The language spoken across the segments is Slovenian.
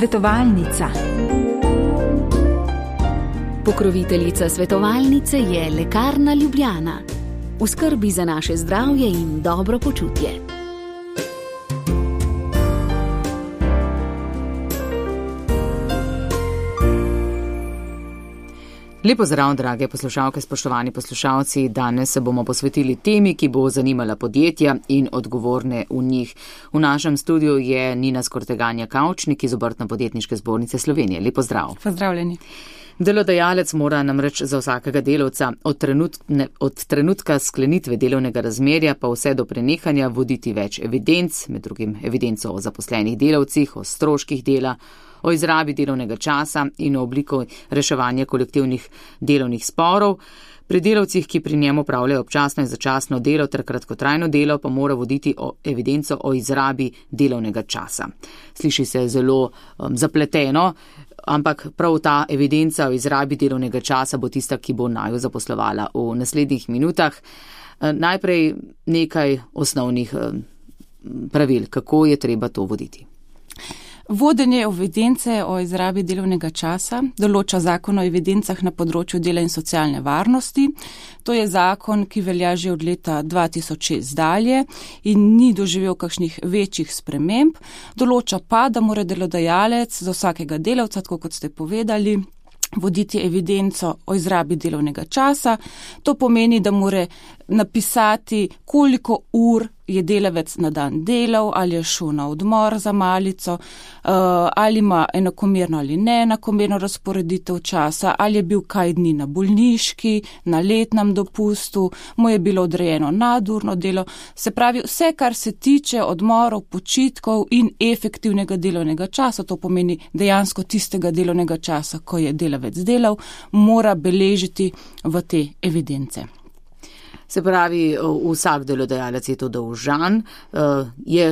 Svetovalnica. Pokroviteljica svetovalnice je Lekarna Ljubljana. V skrbi za naše zdravje in dobro počutje. Lepo zdrav, drage poslušalke, spoštovani poslušalci. Danes se bomo posvetili temi, ki bo zanimala podjetja in odgovorne v njih. V našem studiu je Nina Skorteganja Kavčnik iz Obrtno-podjetniške zbornice Slovenije. Lepo zdrav. Pozdravljeni. Delodajalec mora namreč za vsakega delavca od trenutka sklenitve delovnega razmerja pa vse do prenehanja voditi več evidenc, med drugim evidenco o zaposlenih delavcih, o stroških dela, o izrabi delovnega časa in o obliko reševanja kolektivnih delovnih sporov. Pri delavcih, ki pri njemu opravljajo občasno in začasno delo ter kratkotrajno delo, pa mora voditi evidenco o izrabi delovnega časa. Sliši se zelo zapleteno, ampak prav ta evidenca o izrabi delovnega časa bo tista, ki bo naju zaposlovala v naslednjih minutah. Najprej nekaj osnovnih pravil, kako je treba to voditi. Vodenje evidence o izrabi delovnega časa določa zakon o evidencah na področju dela in socialne varnosti. To je zakon, ki velja že od leta 2006 dalje in ni doživel kakšnih večjih sprememb. Določa pa, da mora delodajalec za vsakega delavca, tako kot ste povedali, voditi evidenco o izrabi delovnega časa. To pomeni, da mora napisati, koliko ur je delavec na dan delal, ali je šel na odmor za malico, ali ima enakomerno ali neenakomerno razporeditev časa, ali je bil kaj dni na bolniški, na letnem dopustu, mu je bilo odrejeno nadurno delo. Se pravi, vse, kar se tiče odmorov, počitkov in efektivnega delovnega časa, to pomeni dejansko tistega delovnega časa, ko je delavec delal, mora beležiti v te evidence. Se pravi, vsak delodajalec je to dolžan,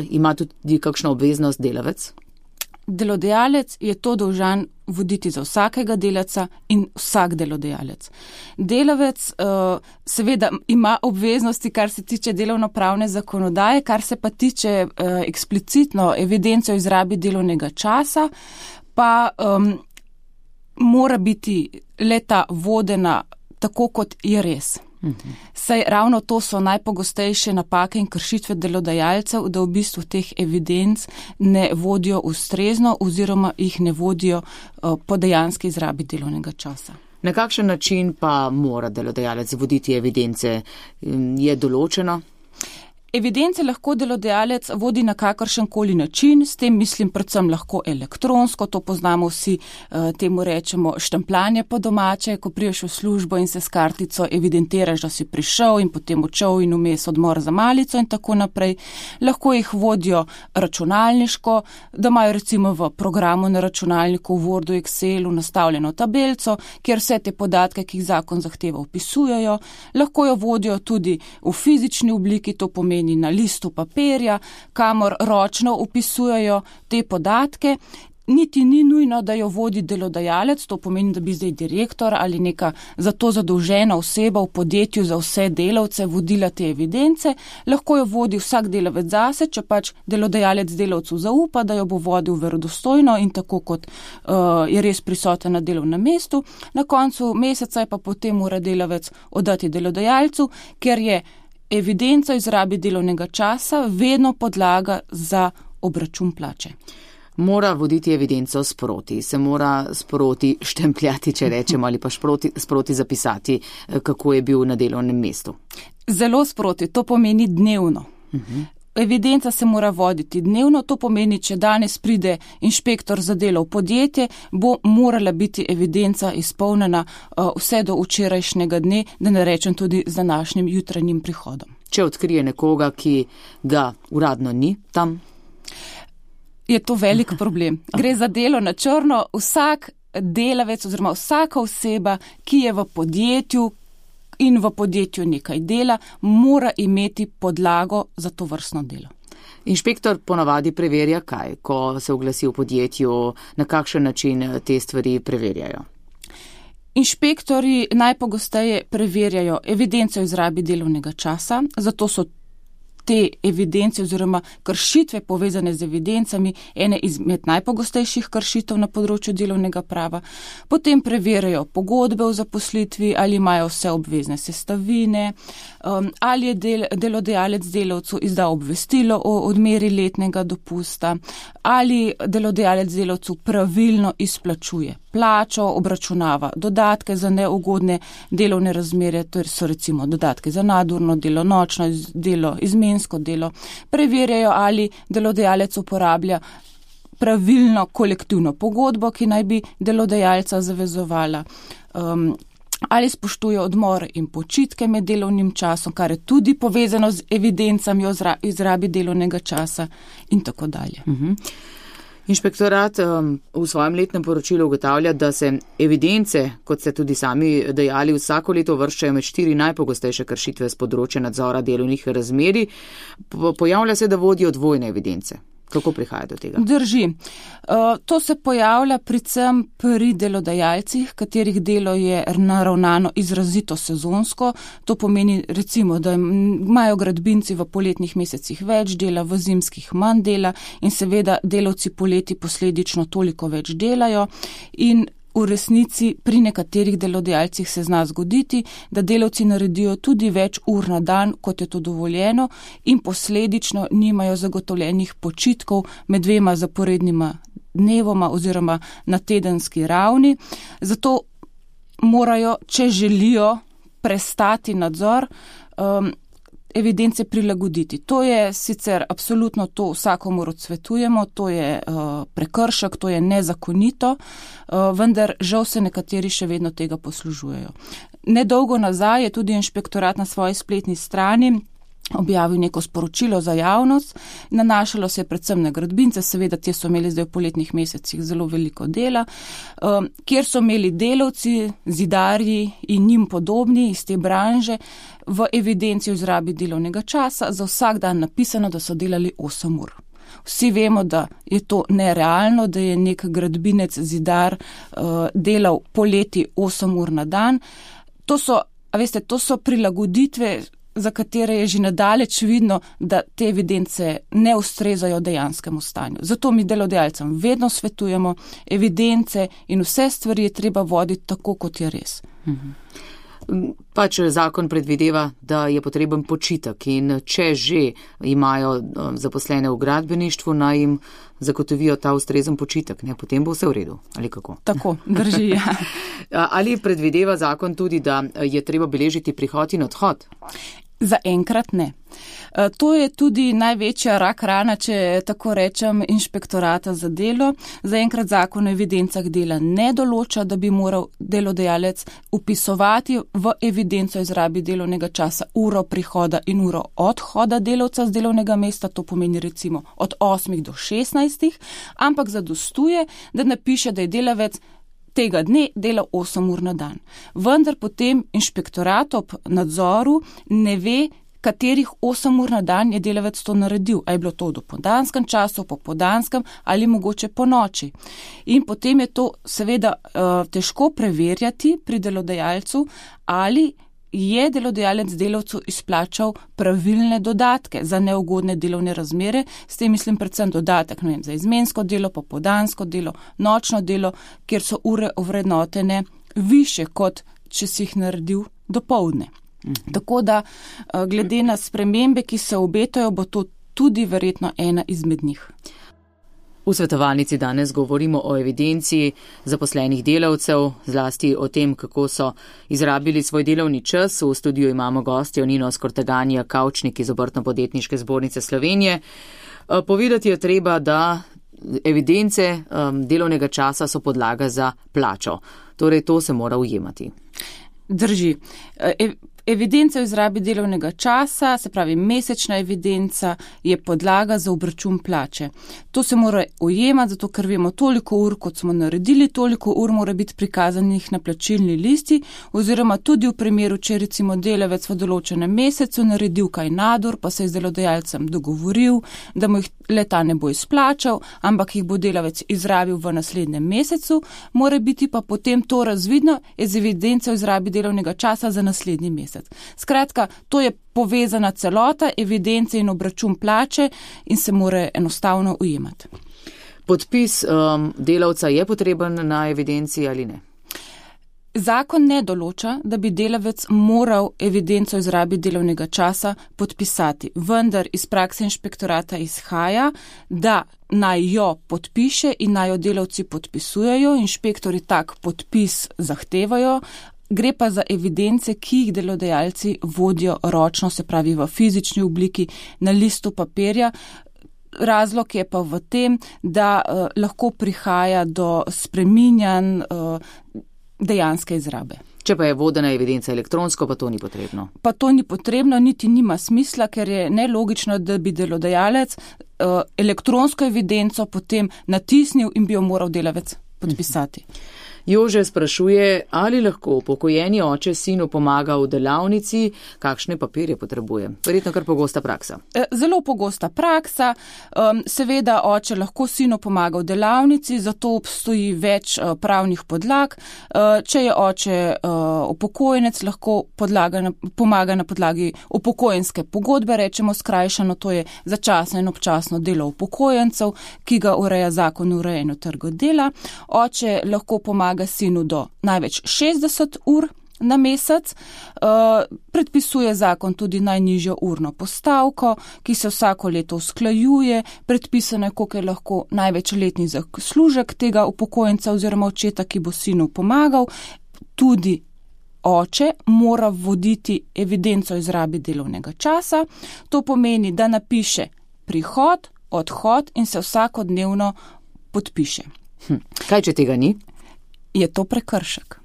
ima tudi kakšno obveznost delavec? Delodajalec je to dolžan voditi za vsakega delavca in vsak delodajalec. Delavec seveda ima obveznosti, kar se tiče delovnopravne zakonodaje, kar se pa tiče eksplicitno evidence o izrabi delovnega časa, pa mora biti leta vodena tako, kot je res. Saj ravno to so najpogostejše napake in kršitve delodajalcev, da v bistvu teh evidenc ne vodijo ustrezno oziroma jih ne vodijo po dejanski izrabi delovnega časa. Na kakšen način pa mora delodajalec voditi evidence? Je določeno? Evidence lahko delodajalec vodi na kakršenkoli način, s tem mislim predvsem lahko elektronsko, to poznamo vsi, temu rečemo štempljanje po domače, ko priješ v službo in se s kartico evidentiraš, da si prišel in potem odšel in vmes odmor za malico in tako naprej. Lahko jih vodijo računalniško, da imajo recimo v programu na računalniku v Wordu, Excelu nastavljeno tabelco, kjer vse te podatke, ki jih zakon zahteva, vpisujejo. Lahko jo vodijo tudi v fizični obliki, to pomeni na listu papirja, kamor ročno upisujejo te podatke. Niti ni nujno, da jo vodi delodajalec, to pomeni, da bi zdaj direktor ali neka za to zadolžena oseba v podjetju za vse delavce vodila te evidence. Lahko jo vodi vsak delavec zase, če pač delodajalec delavcu zaupa, da jo bo vodil verodostojno in tako, kot je res prisoten na delovnem mestu. Na koncu meseca pa potem mora delavec oddati delodajalcu, ker je evidenca o izrabi delovnega časa vedno podlaga za obračun plače. Mora voditi evidenco sproti, se mora sproti štempljati, če rečemo, ali pa sproti zapisati, kako je bil na delovnem mestu. Zelo sproti, to pomeni dnevno. Evidenca se mora voditi dnevno, to pomeni, če danes pride inšpektor za delo v podjetje, bo morala biti evidenca izpolnjena vse do včerajšnjega dne, da ne rečem tudi z današnjim jutranjim prihodom. Če odkrije nekoga, ki ga uradno ni tam? Je to velik problem. Gre za delo na črno. Vsak delavec oziroma vsaka oseba, ki je v podjetju in v podjetju nekaj dela, mora imeti podlago za to vrstno delo. Inšpektor ponavadi preverja kaj, ko se oglasi v podjetju, na kakšen način te stvari preverjajo? Inšpektori najpogosteje preverjajo evidenco o izrabi delovnega časa, zato so te evidence oziroma kršitve povezane z evidencami ene izmed najpogostejših kršitev na področju delovnega prava. Potem preverjajo pogodbe o zaposlitvi, ali imajo vse obvezne sestavine, ali je delodajalec delavcu izdal obvestilo o odmeri letnega dopusta, ali delodajalec delavcu pravilno izplačuje plačo, obračunava dodatke za neugodne delovne razmere, to so recimo dodatke za nadurno delo, nočno delo, izmensko delo. Preverjajo, ali delodajalec uporablja pravilno kolektivno pogodbo, ki naj bi delodajalca zavezovala, ali spoštuje odmor in počitke med delovnim časom, kar je tudi povezano z evidencami o izrabi delovnega časa in tako dalje. Inšpektorat v svojem letnem poročilu ugotavlja, da se evidence, kot ste tudi sami dejali, vsako leto vrščajo med 4 najpogostejše kršitve z področja nadzora delovnih razmerij. Pojavlja se, da vodijo dvojne evidence. Kako prihaja do tega? Drži. To se pojavlja predvsem pri delodajalcih, katerih delo je naravnano izrazito sezonsko. To pomeni recimo, da imajo gradbinci v poletnih mesecih več dela, v zimskih manj dela in seveda delavci poleti posledično toliko več delajo in v resnici pri nekaterih delodajalcih se zna zgoditi, da delavci naredijo tudi več ur na dan, kot je to dovoljeno in posledično nimajo zagotovljenih počitkov med 2 zaporednima dnevoma oziroma na tedenski ravni. Zato morajo, če želijo prestati nadzor, evidence prilagoditi. To je sicer absolutno, to vsakomur odsvetujemo, to je prekršek, to je nezakonito, vendar žal se nekateri še vedno tega poslužujejo. Nedolgo nazaj je tudi inšpektorat na svoji spletni strani objavil neko sporočilo za javnost, nanašalo se je predvsem na gradbince, seveda te so imeli zdaj v poletnih mesecih zelo veliko dela, kjer so imeli delavci, zidarji in njim podobni iz te branže v evidenci o izrabi delovnega časa za vsak dan napisano, da so delali 8 ur. Vsi vemo, da je to nerealno, da je nek gradbinec, zidar delal poleti 8 ur na dan. To so prilagoditve, za katere je že nadaleč vidno, da te evidence ne ustrezajo dejanskemu stanju. Zato mi delodajalcem vedno svetujemo, evidence in vse stvari je treba voditi tako, kot je res. Pač zakon predvideva, da je potreben počitek in če že imajo zaposlene v gradbeništvu, naj jim zagotovijo ta ustrezen počitek, ne, potem bo vse v redu, ali kako? Tako, drži, ja. Ali predvideva zakon tudi, da je treba beležiti prihod in odhod? Zaenkrat ne. To je tudi največja rak rana, če tako rečem, inšpektorata za delo. Zaenkrat zakon o evidencah dela ne določa, da bi moral delodajalec upisovati v evidenco o izrabi delovnega časa uro prihoda in uro odhoda delavca z delovnega mesta, to pomeni recimo od 8 do 16, ampak zadostuje, da napiše, da je delavec tega dne delal 8 ur na dan. Vendar potem inšpektorat ob nadzoru ne ve, katerih 8 ur na dan je delavec to naredil. A je bilo to v dopoldanskem času, popoldanskem ali mogoče po noči. In potem je to seveda težko preverjati pri delodajalcu, ali je delodajalec delavcu izplačal pravilne dodatke za neugodne delovne razmere, s tem mislim predvsem dodatek, za izmensko delo, popoldansko delo, nočno delo, kjer so ure ovrednotene više, kot če si jih naredil dopoldne. Tako da glede na spremembe, ki se obetajo, bo to tudi verjetno ena izmed njih. V svetovalnici danes govorimo o evidenciji zaposlenih delavcev, zlasti o tem, kako so izrabili svoj delovni čas. V studiu imamo gostjo Nino Skorteganija Kavčnik iz Obrtno-podjetniške zbornice Slovenije. Povedati je treba, da evidence delovnega časa so podlaga za plačo. Torej, to se mora ujemati. Drži. Evidenca o izrabi delovnega časa, se pravi mesečna evidenca, je podlaga za obračun plače. To se mora ujemati, zato ker vemo, toliko ur, kot smo naredili, toliko ur mora biti prikazanih na plačilni listi, oziroma tudi v primeru, če recimo delavec v določenem mesecu naredil kaj nadur, pa se je z delodajalcem dogovoril, da mu jih leta ne bo izplačal, ampak jih bo delavec izrabil v naslednjem mesecu, mora biti pa potem to razvidno iz evidence o izrabi delovnega časa za naslednji mesec. mesec. Skratka, to je povezana celota, evidence in obračun plače in se more enostavno ujemati. Podpis delavca je potreben na evidenciji ali ne? Zakon ne določa, da bi delavec moral evidenco o izrabi delovnega časa podpisati, vendar iz prakse inšpektorata izhaja, da naj jo podpiše in naj jo delavci podpisujejo, inšpektori tak podpis zahtevajo. Gre pa za evidence, ki jih delodajalci vodijo ročno, se pravi v fizični obliki na listu papirja. Razlog je pa v tem, da lahko prihaja do spreminjanj dejanske izrabe. Če pa je vodena evidenca elektronsko, pa to ni potrebno. Pa to ni potrebno, niti nima smisla, ker je nelogično, da bi delodajalec elektronsko evidenco potem natisnil in bi jo moral delavec podpisati. Jože sprašuje, ali lahko upokojeni oče sinu pomaga v delavnici, kakšne papirje potrebuje. Verjetno kar pogosta praksa. Zelo pogosta praksa. Seveda oče lahko sinu pomaga v delavnici, zato obstoji več pravnih podlag. Če je oče upokojenec, lahko pomaga na podlagi upokojenske pogodbe, rečemo skrajšano, to je začasno in občasno delo upokojencev, ki ga ureja zakon o urejanju trga dela. Oče lahko pomaga sinu do največ 60 ur na mesec. Predpisuje zakon tudi najnižjo urno postavko, ki se vsako leto usklajuje. Predpisano je, koliko je lahko največ letni zaslužek tega upokojenca oziroma očeta, ki bo sinu pomagal. Tudi oče mora voditi evidenco o izrabi delovnega časa. To pomeni, da napiše prihod, odhod in se vsakodnevno podpiše. Kaj, če tega ni? Je to prekršek.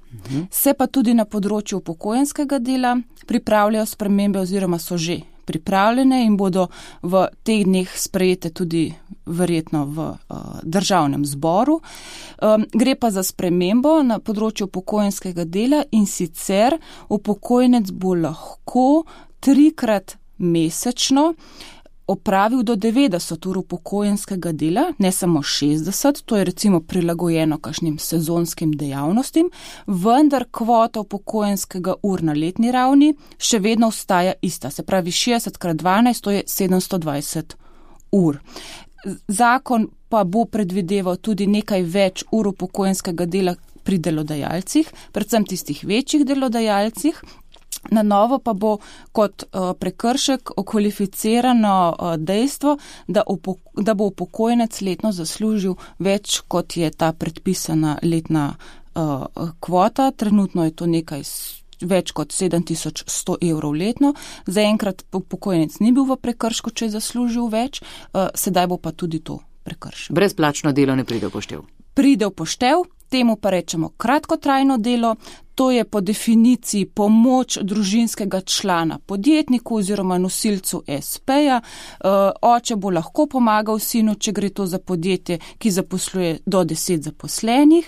Se pa tudi na področju upokojenskega dela pripravljajo spremembe oziroma so že pripravljene in bodo v teh dneh sprejete tudi verjetno v državnem zboru. Gre pa za spremembo na področju upokojenskega dela in sicer upokojenec bo lahko 3-krat mesečno opravil do 90 ur upokojenskega dela, ne samo 60, to je recimo prilagojeno kakšnim sezonskim dejavnostim, vendar kvota upokojenskega ur na letni ravni še vedno ostaja ista, se pravi 60x12, to je 720 ur. Zakon pa bo predvideval tudi nekaj več ur upokojenskega dela pri delodajalcih, predvsem tistih večjih delodajalcih. Na novo pa bo kot prekršek okvalificirano dejstvo, da bo upokojenec letno zaslužil več, kot je ta predpisana letna kvota. Trenutno je to nekaj več kot 7100 evrov letno. Zaenkrat upokojenec ni bil v prekršku, če je zaslužil več, sedaj bo pa tudi to prekršek. Brezplačno delo ne pride v poštev? Pride v poštev, temu pa rečemo kratkotrajno delo. To je po definiciji pomoč družinskega člana podjetniku oziroma nosilcu SP-ja. Oče bo lahko pomagal sinu, če gre to za podjetje, ki zaposluje do 10 zaposlenih.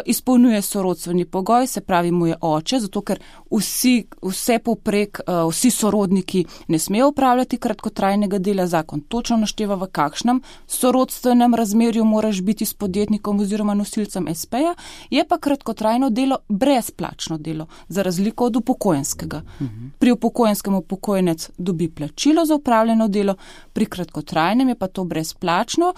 Izpolnjuje sorodstveni pogoj, se pravi mu je oče, zato ker vsi sorodniki ne smejo upravljati kratkotrajnega dela. Zakon točno našteva, v kakšnem sorodstvenem razmerju moraš biti s podjetnikom oziroma nosilcem SP-ja. Je pa kratkotrajno delo brezplačno delo, za razliko od upokojenskega. Pri upokojenskem upokojenec dobi plačilo za upravljeno delo, pri kratkotrajnem je pa to brezplačno.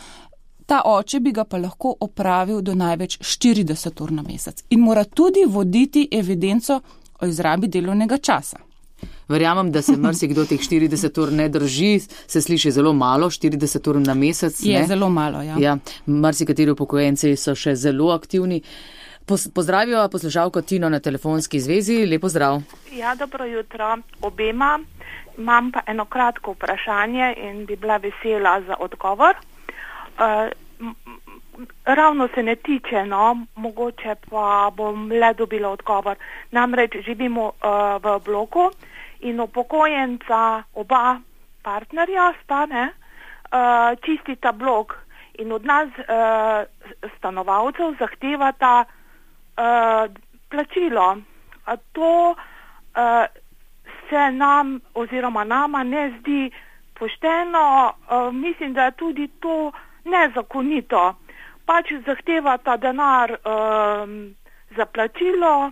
Ta oče bi ga pa lahko opravil do največ 40 ur na mesec in mora tudi voditi evidenco o izrabi delovnega časa. Verjamem, da se marsikdo teh 40 ur ne drži, se sliši zelo malo, 40 ur na mesec. Je zelo malo, ja. Ja, marsikateri upokojenci so še zelo aktivni. Pozdravijo poslušalko Tino na telefonski zvezi. Lep pozdrav. Ja, dobro jutro obema. Imam pa eno kratko vprašanje in bi bila vesela za odgovor. Ravno se ne tiče, mogoče pa bom le dobila odgovor. Namreč živimo v bloku in upokojenca oba partnerja sta, čistita blok in od nas stanovalcev zahtevata plačilo. To se nam oziroma nama ne zdi pošteno, mislim, da je tudi to nezakonito. Pač zahtevata denar za plačilo,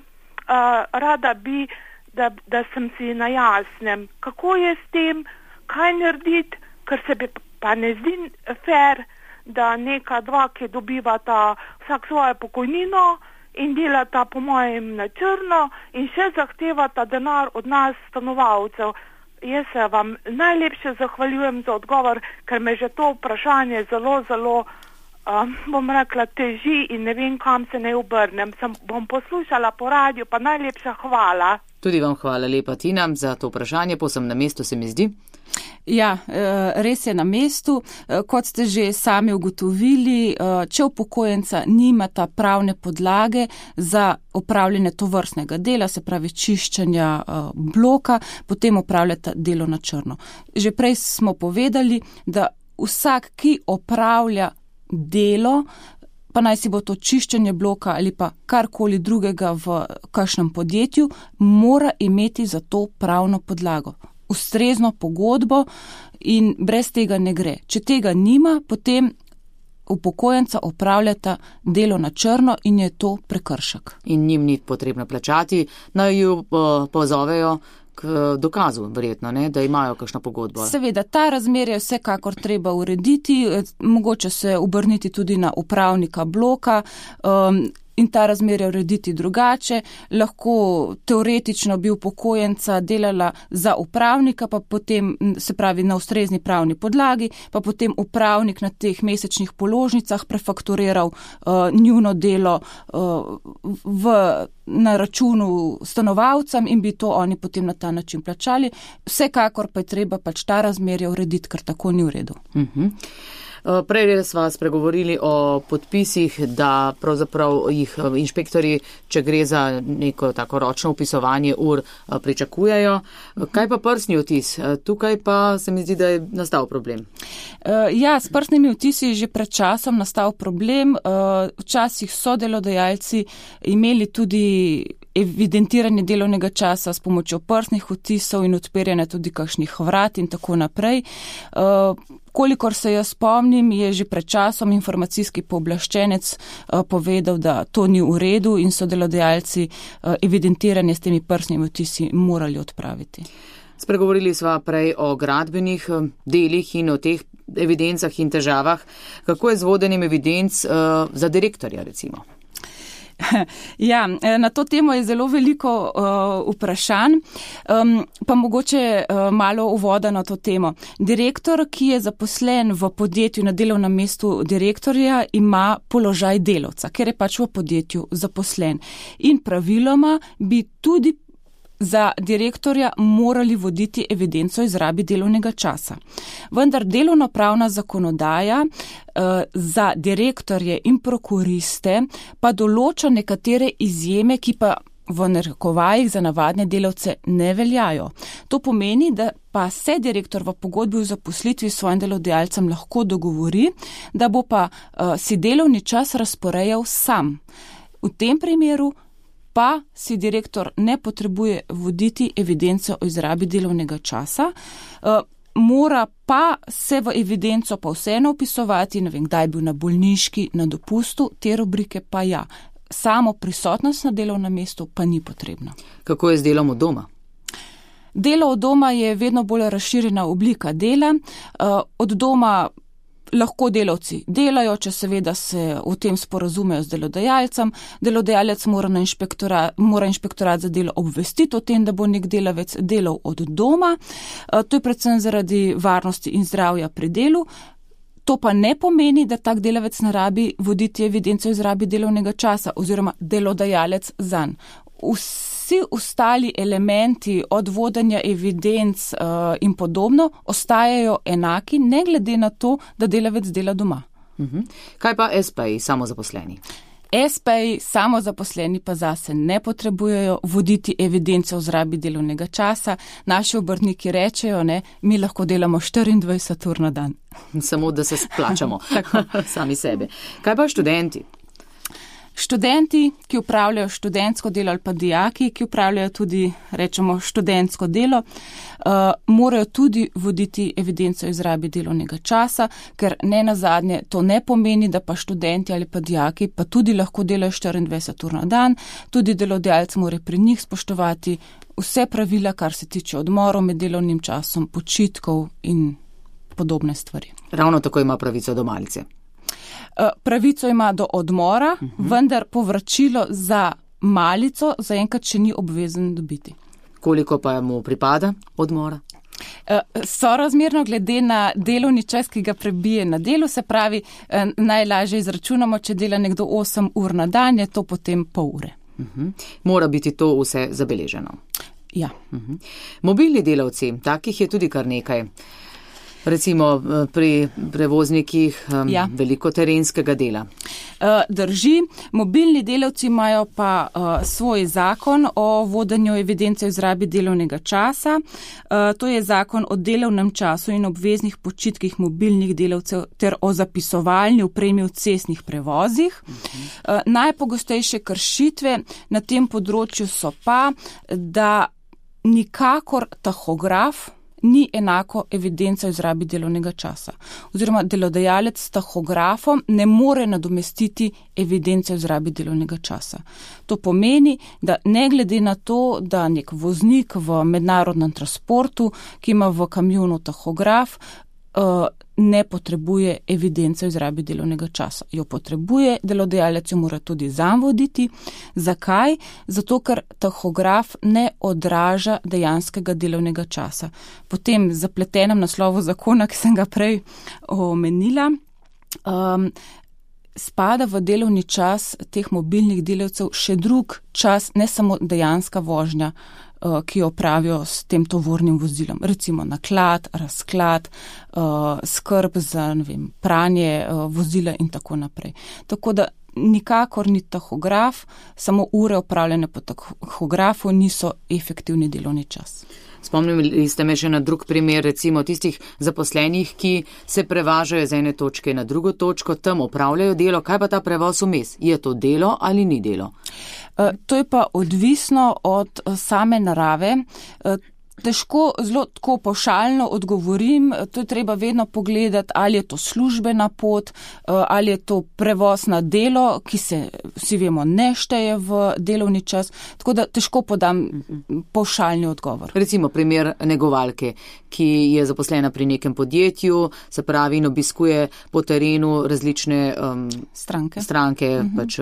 rada bi, da sem si na jasnem, kako je s tem, kaj narediti, ker se bi pa ne zdi fair, da neka dva, ki dobivata vsak svojo pokojnino in delata po mojem na črno in še zahtevata denar od nas stanovalcev. Jaz se vam najlepše zahvaljujem za odgovor, ker me že to vprašanje zelo, bom rekla, teži in ne vem, kam se ne obrnem. Bom poslušala po radiju, pa najlepša hvala. Tudi vam hvala lepa, Tina, za to vprašanje, posem na mestu se mi zdi. Ja, res je na mestu. Kot ste že sami ugotovili, če upokojenca nimata pravne podlage za opravljanje tovrstnega dela, se pravi čiščenja bloka, potem opravljata delo na črno. Že prej smo povedali, da vsak, ki opravlja delo, pa naj si bo to čiščenje bloka ali pa karkoli drugega v kakšnem podjetju, mora imeti za to pravno podlago, ustrezno pogodbo in brez tega ne gre. Če tega nima, potem upokojenca opravljata delo na črno in je to prekršek. In njim ni potrebno plačati, naj ju pozovejo k dokazu, verjetno, ne, da imajo kakšno pogodbo. Seveda, ta razmer je vsekakor treba urediti, mogoče se obrniti tudi na upravnika bloka, in ta razmerja urediti drugače. Lahko teoretično bi upokojenca delala za upravnika, pa potem, se pravi na ustrezni pravni podlagi, pa potem upravnik na teh mesečnih položnicah prefakturiral njuno delo na računu stanovalcem in bi to oni potem na ta način plačali. Vsekakor pa je treba pač ta razmerja urediti, ker tako ni v redu. Prej sva spregovorili o podpisih, da pravzaprav jih inšpektori, če gre za neko tako ročno upisovanje ur, pričakujejo. Kaj pa prstni odtis? Tukaj pa se mi zdi, da je nastal problem. Ja, s prstnimi odtisi je že pred časom nastal problem. Včasih so delodajalci imeli tudi evidentiranje delovnega časa s pomočjo prstnih odtisov in odpiranje tudi kakšnih vrat in tako naprej. Kolikor se jaz spomnim, je že pred časom informacijski pooblaščenec povedal, da to ni v redu in so delodajalci evidentiranje s temi prstnimi odtisi morali odpraviti. Spregovorili sva prej o gradbenih delih in o teh evidencah in težavah. Kako je z vodenjem evidenc za direktorja, recimo? Ja, na to temo je zelo veliko vprašanj, pa mogoče malo uvoda na to temo. Direktor, ki je zaposlen v podjetju na delovnem mestu direktorja, ima položaj delavca, ker je pač v podjetju zaposlen. In praviloma bi tudi za direktorja morali voditi evidenco o izrabi delovnega časa. Vendar delovnopravna zakonodaja za direktorje in prokuriste pa določa nekatere izjeme, ki pa v narekovajih za navadne delavce ne veljajo. To pomeni, da pa se direktor v pogodbi o zaposlitvi s svojim delodajalcem lahko dogovori, da bo pa si delovni čas razporejal sam. V tem primeru pa si direktor ne potrebuje voditi evidence o izrabi delovnega časa, mora pa se v evidenco pa vseeno upisovati, ne vem, kdaj je bil na bolniški, na dopustu, te rubrike pa ja. Samo prisotnost na delovnem mestu pa ni potrebna. Kako je z delom od doma? Delo od doma je vedno bolj razširjena oblika dela. Od doma lahko delavci delajo, če seveda se v tem sporazumejo z delodajalcem. Delodajalec mora inšpektorat za delo obvestiti o tem, da bo nek delavec delal od doma. To je predvsem zaradi varnosti in zdravja pri delu. To pa ne pomeni, da tak delavec ne rabi voditi evidence o izrabi delovnega časa oziroma delodajalec zanj. Vsi ostali elementi od vodenja evidenc in podobno ostajajo enaki, ne glede na to, da delavec dela doma. Kaj pa SP-ji, samozaposleni? SP-ji, samozaposleni pa zase ne potrebujejo voditi evidence o izrabi delovnega časa. Naši obrtniki rečejo, ne, mi lahko delamo 24 ur na dan. Samo da se splačamo sami sebe. Kaj pa študenti? Študenti, ki upravljajo študentsko delo ali pa dijaki, ki upravljajo tudi, rečemo, študentsko delo, morajo tudi voditi evidenco o izrabi delovnega časa, ker ne nazadnje to ne pomeni, da pa študenti ali pa dijaki pa tudi lahko delajo 24 ur na dan, tudi delodajalec mora pri njih spoštovati vse pravila, kar se tiče odmorov med delovnim časom, počitkov in podobne stvari. Ravno tako ima pravico do malice. Pravico ima do odmora, vendar povračilo za malico zaenkrat še ni obvezen dobiti. Koliko pa mu pripada odmora? Sorazmerno glede na delovni čas, ki ga prebije na delu, se pravi, najlažje izračunamo, če dela nekdo 8 ur na dan, je to potem pol ure. Mora biti to vse zabeleženo. Ja. Mobilni delavci, takih je tudi kar nekaj. Recimo pri prevoznikih veliko terenskega dela. Drži, mobilni delavci imajo pa svoj zakon o vodenju evidence o izrabi delovnega časa. To je zakon o delovnem času in obveznih počitkih mobilnih delavcev ter o zapisovalni opremi v cestnih prevozih. Najpogostejše kršitve na tem področju so pa, da nikakor tahograf ni enako evidenca o izrabi delovnega časa. Oziroma delodajalec s tahografom ne more nadomestiti evidence o izrabi delovnega časa. To pomeni, da ne glede na to, da nek voznik v mednarodnem transportu, ki ima v kamionu tahograf, ne potrebuje evidence o izrabi delovnega časa. Jo potrebuje, delodajalec jo mora tudi sam voditi. Zakaj? Zato, ker tahograf ne odraža dejanskega delovnega časa. Po tem zapletenem naslovu zakona, ki sem ga prej omenila, spada v delovni čas teh mobilnih delavcev še drug čas, ne samo dejanska vožnja, ki jo opravijo s tem tovornim vozilom. Recimo naklad, razklad, skrb za pranje vozila in tako naprej. Tako da nikakor ni tahograf, samo ure opravljene po tahografu niso efektivni delovni čas. Spomnili ste me še na drug primer, recimo tistih zaposlenih, ki se prevažajo z ene točke na drugo točko, tam opravljajo delo. Kaj pa ta prevoz vmes? Je to delo ali ni delo? To je pa odvisno od same narave. Težko zelo tako pavšalno odgovorim, to je treba vedno pogledati, ali je to službena pot, ali je to prevoz na delo, ki se, vsi vemo, ne šteje v delovni čas, tako da težko podam pavšalni odgovor. Recimo primer negovalke, ki je zaposlena pri nekem podjetju, se pravi in obiskuje po terenu različne stranke pač,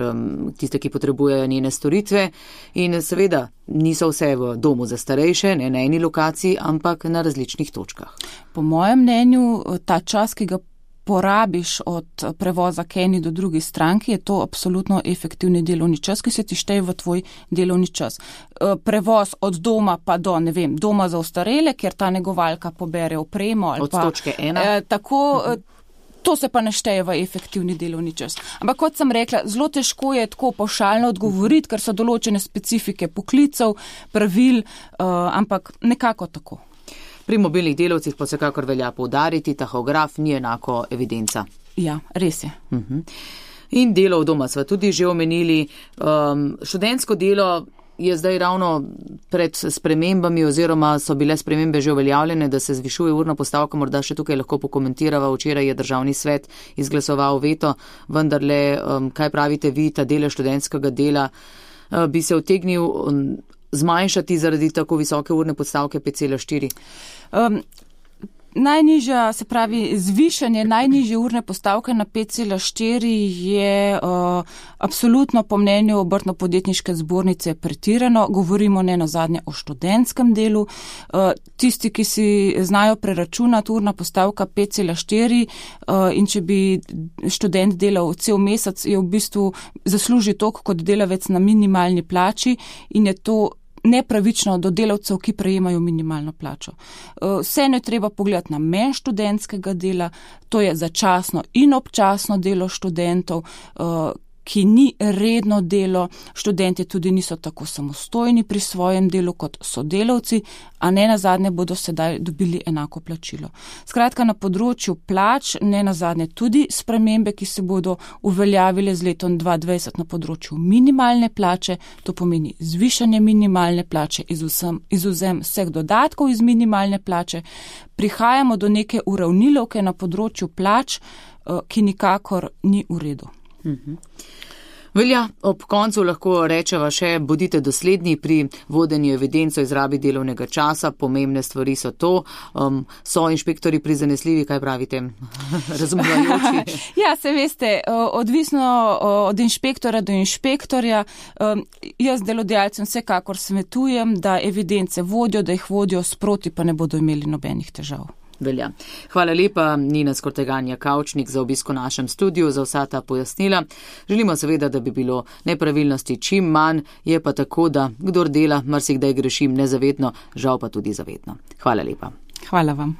tiste, ki potrebujejo njene storitve in seveda niso vse v domu za starejše, ne na eni lokaciji, ampak na različnih točkah. Po mojem mnenju, ta čas, ki ga porabiš od prevoza k eni do drugi stranki, je to absolutno efektivni delovni čas, ki se ti šteje v tvoj delovni čas. Prevoz od doma pa do, doma za ostarele, kjer ta negovalka pobere opremo. Ali od točke ena. To se pa ne šteje v efektivni delovni čas. Ampak kot sem rekla, zelo težko je tako pavšalno odgovoriti, ker so določene specifike poklicev, pravil, ampak nekako tako. Pri mobilnih delavcih pa vsekakor velja poudariti, tahograf ni enako evidenca. Ja, res je. In delo v doma sva tudi že omenili. Študentsko delo je zdaj ravno pred spremembami oziroma so bile spremembe že uveljavljene, da se zvišuje urna postavka, morda še tukaj lahko pokomentirava. Včeraj je državni svet izglasoval veto, vendarle, kaj pravite vi, ta delež študentskega dela bi se utegnil zmanjšati zaradi tako visoke urne postavke 5,4? Najnižja, se pravi, zvišanje najnižje urne postavke na 5,4 je absolutno po mnenju Obrtno-podjetniške zbornice pretirano. Govorimo ne nazadnje o študentskem delu. Tisti, ki si znajo preračunati urna postavka 5,4 in če bi študent delal cel mesec, je v bistvu zasluži toliko kot delavec na minimalni plači in je to nepravično do delavcev, ki prejemajo minimalno plačo. Vseeno je treba pogledati namen študentskega dela, to je začasno in občasno delo študentov, ki ni redno delo, študenti tudi niso tako samostojni pri svojem delu kot sodelavci, a ne nazadnje bodo sedaj dobili enako plačilo. Skratka, na področju plač, ne nazadnje tudi spremembe, ki se bodo uveljavile z letom 2020 na področju minimalne plače, to pomeni zvišanje minimalne plače, izvzem vseh dodatkov iz minimalne plače, prihajamo do neke uravnilovke na področju plač, ki nikakor ni v redu. Velja, ob koncu lahko rečeva še, bodite dosledni pri vodenju evidenc o izrabi delovnega časa, pomembne stvari so to, so inšpektori prizanesljivi, kaj pravite, razumevajoči? Ja, se veste, odvisno od inšpektora do inšpektorja, jaz delodajalcem vsekakor svetujem, da evidence vodijo, da jih vodijo sproti, pa ne bodo imeli nobenih težav. Velja. Hvala lepa, Nina Skorteganja Kavčnik, za obisko v našem studiu, za vsa ta pojasnila. Želimo seveda, da bi bilo nepravilnosti čim manj, je pa tako, da kdor dela, marsikdaj grešim nezavedno, žal pa tudi zavedno. Hvala lepa. Hvala vam.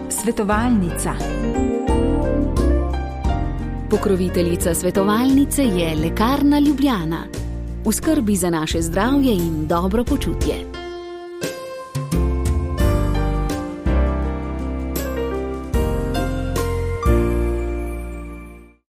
Svetovalnica. Pokroviteljica svetovalnice je Lekarna Ljubljana. V skrbi za naše zdravje in dobro počutje.